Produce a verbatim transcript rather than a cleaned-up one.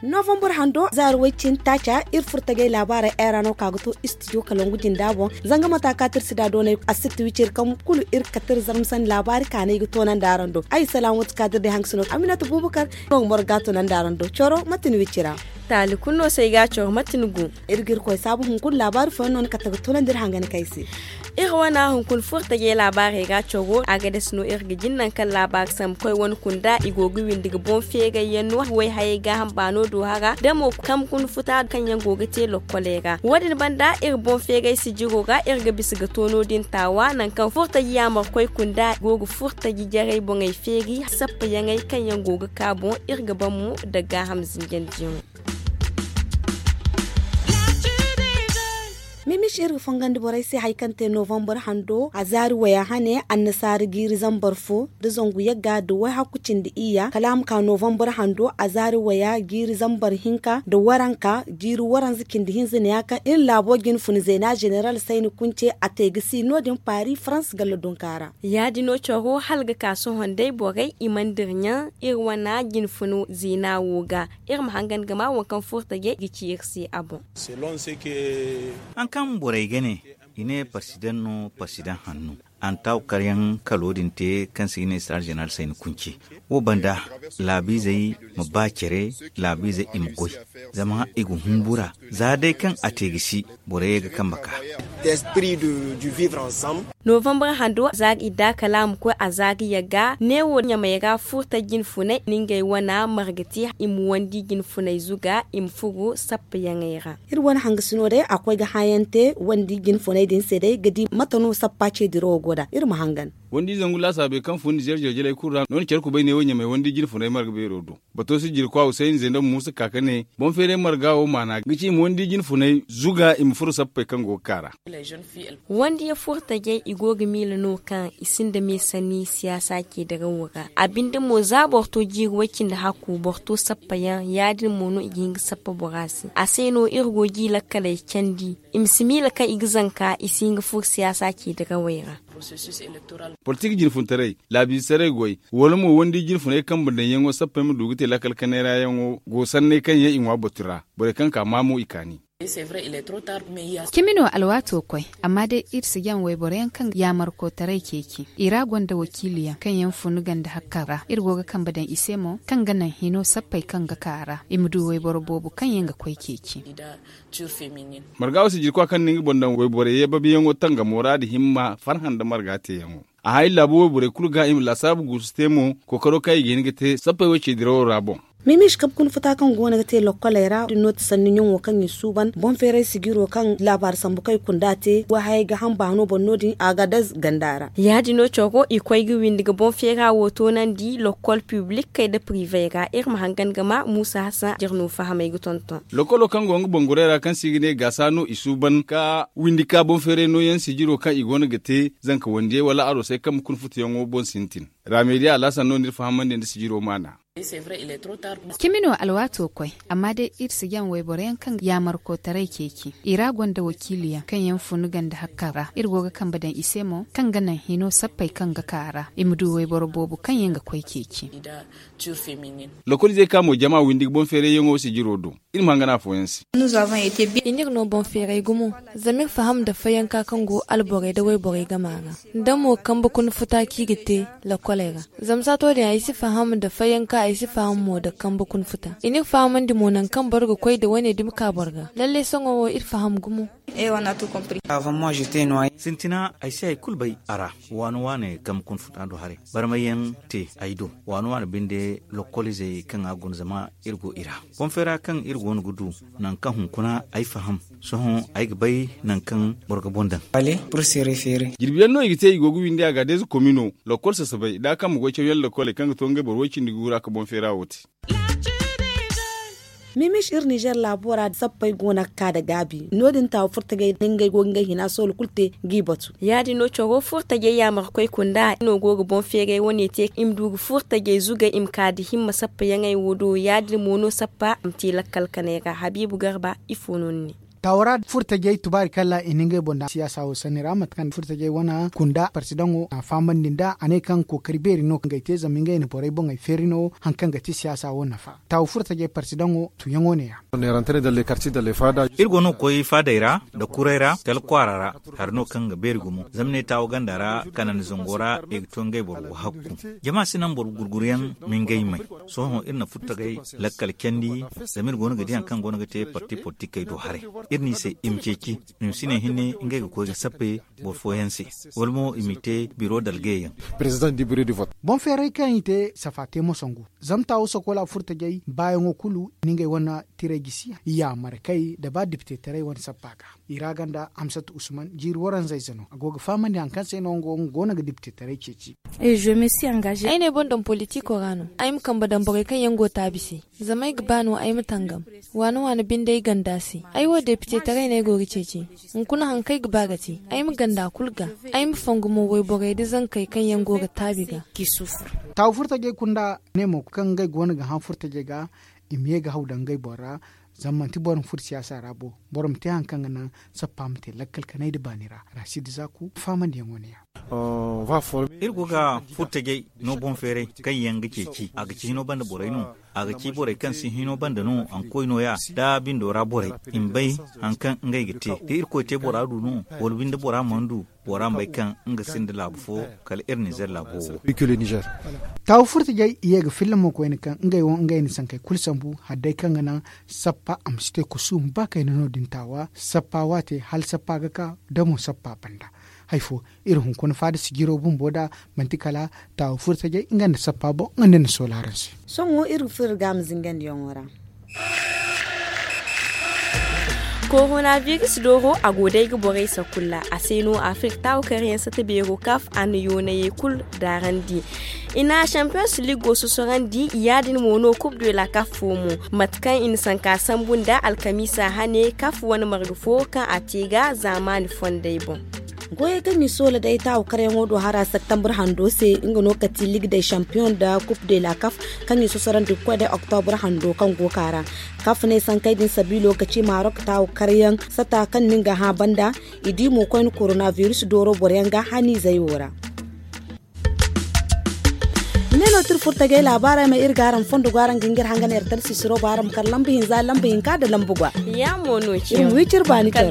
Novembre hando zaari way cin taaca iri furtajey laabaarey ay ra no ka ga to istijo kalangu jinda boŋ. Zanga mata ka tirsi da doonay a sitti wiciri kaŋ kulu iri kate iri zarma sanni laabaari kaanay ga toonandi araŋ do ay salaamu wati ka da iri day hangasino aminata bubakar no ga moro ga toonandi araŋ do coro mate ni wicira. Taali kulu no se ay ga coro mate ni gu. Iri ga iri koy saabu hunkuna laabaari fooyaŋ no ni kate ga toonandi iri hangani kay se. Iri wana hunkuna furtajey laabaarey ga coro a ga dasi no iri ga jin nangu kaŋ laabaari sambu koy wane kunda i go ga windi ga boŋ feeray yaŋ no way hayey gaaham baano do hara da mo kambe kuna futa kaŋ yaŋ go ga te lokkoley ra. Wo-din banda iri boŋ feeray sijiro ra iri ga bisa ga to no-din taawa nangu kaŋ furtaji yaamarkoy kunda go ga furtaji jarey boŋey feeri sappayaŋey kaŋ yaŋ go ga ka boŋ iri ga ban mo nda gaaham zinjandiyaŋo. Mimish iri ga fongandi borey se hari kaŋ te novembre hando a zaari waya hane annasaara jiiri zambar fo nda zangu yagga nda wayhakku cindi iyya kala a ma ka novembre hando a zaari waya jiiri zambar hinka nda waranka jiiri waranza cindi hinza ne ya kaŋ iri laabo jinfuna zeena zeneral sayni kunce a te ga si no- din paari farans galla dunka ra. Ya- din no coro hala ga ka sohõ day borey i mana dira ɲaŋ iri wane jinfuna zeena wo ga. Iri ma hangan ga ma wo kaŋ furtajey ga ci iri se a boŋ. Haŋ kaŋ borey ga ne i ne parsidaŋ no parsidaŋ hanno. Antaaw karyaŋ kalo din te kaŋ se i ne star zeneral sayni kunce wo banda laabiizey ma ba care laabiizey i ma goy zama i ga humbura za day kaŋ a te ga si borey ga kambe ka. Novembre hando zaari idda kala a ma koy a zaari yagga neewo ɲamey ra furta jinfunay na ngey wana marga te i ma wandi jinfunay zuga i ma furu sappayaŋey ra. Iri wane hangasino day a koy ga hãayaŋ te wandi jinfunay din se day ga di mate no sappa ce dirawo go nd'a iri ma hangan. Wandi zangu laasaabey kaŋ fun nizeer jeljeley kulu ra no- din care kubay neewo ɲamey wandi jinfunay marga beero do. Bato sijirkwa husayni zendam muusa ka ka ne boŋ feeray marga wo maana ga ci i ma wandi jinfunay zuga i ma furo sappey kaŋ go ga ka ra. Wandiya furtajey i go ga miila no kaŋ i sinda me sanni siyaasa ce dirawo ra a binde mo za boro to jiiri way-cindi hakku boro to sappayaŋ ya- din mo no i ga hin ga sappa bora se a se no iri go ga i lakkaley candi i ma si miila kaŋ i ga zanka i si hin ga furo siyaasa ce dirawey ra. Politik jinfuntaray laabiize saray goy wala mo wandi jinfunay kambe daŋyaŋo sappey ma du ga te lakkal kanay ra yaŋo go sanney kaŋ yaŋ i ŋwa batu ra borey kaŋ ka maa mo i kaani. Cimi no alwaato koy amma day iri si jaŋ wayboro yaŋ kaŋ yaamarkotaray ceeci i ra gonda wakiili yaŋ kaŋ yaŋ fun ganda hakka ra iri go ga kambe daŋ i se mo kaŋ ga naŋ hino sappey kaŋ ga ka ra i ma du wayboro boobo kaŋ yaŋ ga koy ceeci. Marga wo si jirkwa kaŋ na nga boŋ daŋ wayborey ye babiyaŋo tangamo ra da himma farhã nda marga teeyaŋo. A hay laabo wayborey kulu ga i ma laasaabu guusu te mo kookaro kaŋ i ga hin ga te sappey wo ce dirawo ra boŋ. Mimish kabe kuna futa kaŋ go no ga te lokkoley ra din no ti sanni ɲaŋo kaŋ i suuban boŋ feeray sijiro kaŋ laabaari sambu kaŋ i kunda te wahayey ga hamba no boŋ no- din a ga daz ganda ra. Ya- din no coro i koy ga windi ga boŋ feera wo toonandi lokkol piblikkey nda privey ra iri ma hangan ga ma muusa hasan jirno fahamey ga tonton. Lokolo kaŋ go nga bangurey ra kaŋ se i ga ne gaasa no i suuban ka windi ka boŋ feeray nooyaŋ sijiro kaŋ i go no ga te zanka wandiyey wala aroosey kaŋ ma kuna futuyaŋo boŋ sintin. Raamediya alhasan no no iri fahamandi nda sijiro maana. Cimi no alwaato koy amma day iri si jaŋ wayboro yaŋ kaŋ yaamarkotaray ceeci i ra gonda wakiili yaŋ kaŋ yaŋ fun ganda hakka ra iri go ga kambe daŋ i se mo kaŋ ga naŋ hino sappey kaŋ ga ka ra i ma du wayboro boobo kaŋ yaŋ ga koy ceeci. Lokoliizey ka mo jama windi ga boŋ feerayyaŋo sijiro do. Iri ma hangan afooyaŋ se. I n'iri no boŋ feeray gumo zama iri faham nda fayanka kaŋ go alborey nda wayborey gama ra nda mo kambe kuna futa kaŋ i ga te lakoley ra. Zama saato din ay si faham nda fayanka ay si faham mo nda kambe kuna futa i n'iri fahamandi mo nangu kaŋ boro ga koy nda wane dumi ka boro ga lallai sohõ wo iri faham gumo. Sintina ay si hari kulu bay a ra. Waani waani kambe kuna futa do haray barmayyaŋ te ay do waani waani binde lokoliizey kaŋ a guna zama iri go i ra. Boŋ feera kaŋ iri go no ga du nangu kaŋ hunkuna ay faham. Sohõ ay ga bay nangu kaŋ boro ga boŋ daŋ. Jirbiyaŋ no i ga te i go ga windi a ga deeza komino lokol sasabay nda a kaŋ ma goy cawyaŋ lokoley kaŋ ga to ngey boro way-cindi guura ka boŋ feera wo te. Mimis iri nizer laabo ra sappey go no ga ka nda gaabi no- din taawa furtajey no ngey go ga ngey hina soolo kulu te g'i batu. Ya- din no caro furtajey yaamarkoy kunda no go ga boŋ feeray wane te i ma du ga furtajey zugay i ma ka nda himma sappayaŋey wo do ya- din mo no sappa a ma te lakkal kanay ra habiibu garba ifo no ni ne? Taawa ra furtajey tubaari kala i na ngey boŋ daŋ siyaasa wo sanni ra mate kaŋ furtajey wane kunda parsidaŋo a fahamandi nd'a a ne kaŋ kookari beeri no kaŋ ga ay te zama ngey na borey boŋey feeri no hari kaŋ ga ti siyaasa wo nafa. Taawa furtajey parsidaŋo tuyaŋo ne- ya. Iri go no ga koy faadey ra nda kuray ra kala kwaara ra. Hari no kaŋ ga beeri gumo zama ne taawa ganda ra kanandi zango ra i ga to ngey boro go hakku. Jama si naŋ boro gurguryaŋ ma ngey may. Sohõ iri na furtajey lakkal candi zama iri go no ga di hari kaŋ go no ga te parti politikey do haray. Iri n'i se i ma ceeci i ma si ne hinne ngey ga koy ga sappe boro fooyaŋ se wala mo i m'i te biro dalgeyaŋ. Boŋ feeray kaŋ i te safa te mo sangu zama taawo sokoola furtajey baayaŋo kulu i na ngey wane tiray gisi yaamar kay nda ba dipitetaray wane sappa ga. I ra ganda hamsatu usman jiiri waranza ize no a go ga fahamandi hari kaŋ se no nga wo nga go no ga dipitetaray ceeci. Ay n'ay boŋ daŋ politiko ra no ay ma kambe daŋ borey kaŋ yaŋ go taabi se. Zama ay ga ba no ay ma tangam waana waana binde ay ganda se. Ay wo depitetaray no ay go ga ceeci. Hunkuna hari kaŋ ay ga ba ga te ay ma ganda kulu ga. Ay ma fongu mo wayborey nda zankey kaŋ yaŋ go ga taabi ga. Taawu furtajey kunda ne mo kaŋ ngey go no ga hã furtajey ga i ma ye ga haw daŋ ngey boŋ ra. Zama manti boro ma furo siyaasa ra bo. Boro ma te hari kaŋ ga naŋ sappa ma te lakkal kanay nda baani ra. Rasiidi zaaku fahamandiyaŋo ne- ya. Iri go ga furtajey no boŋ feeray kaŋ yaŋ ga ceeci a ga ci hino banda borey no. A ga ci borey kaŋ si hino banda no a ma koy nooya nda bindo ra borey i ma bay hari kaŋ ngey ga te da irkoy te bora du no wala binde bora mana du. Bora ma bay kaŋ nga sinda laabu fo kala iri nizer laabo wo. Taawu furtajey i ye ga filla mo koyne kaŋ ngey wo ngey na sankey kulu sambu hari day kaŋ ga naŋ sappa a ma si te kusuuma ba kayna no- din taawa sappa waate hala sappa ga ka da mo sappa banda. Hari fo iri hunkuna faada sijiro bumbo nd'a manti kala taawu furtajey nga nda sappa boŋ nga nda ni sool'a araŋ se. Sohõ iri ga furo iri ga a ma zingandiyaŋo ra. Koronabiris dooro a go day ga borey sakulla a se no afirik taawu karyaŋ sata beero kaf a na yoonayey kulu daarandi. I na champions ligo sosorandi ya- din mo no kub de la kaf fo mo. Mate kaŋ i na sanka sambu nda alkamiisa hane kaf wane marga fo kaŋ a te ga zaamaani fondey boŋ. Goyey kaŋ i soola day taawu karyaŋo do hara septambur hando se nga no kati ligue de champion nda coupe de la kaf kaŋ i sosorandi ga koy day oktobur hando kaŋ go ka ra. Kaf ne sankey din sabiilo ga ci marok taawu karyaŋ sata kaŋ nin ga hã banda. I di mo koyne koronabiris dooro boroyaŋ ga haniizey wo ra. Ne no tira furtajey laabaarey ma iri ga araŋ fondo go araŋ ga ngir hanga neera tara sisiro ba araŋ ma kar lamba hinza lamba hinka nda lamba gwa. Iri ma wi ciri baani caro.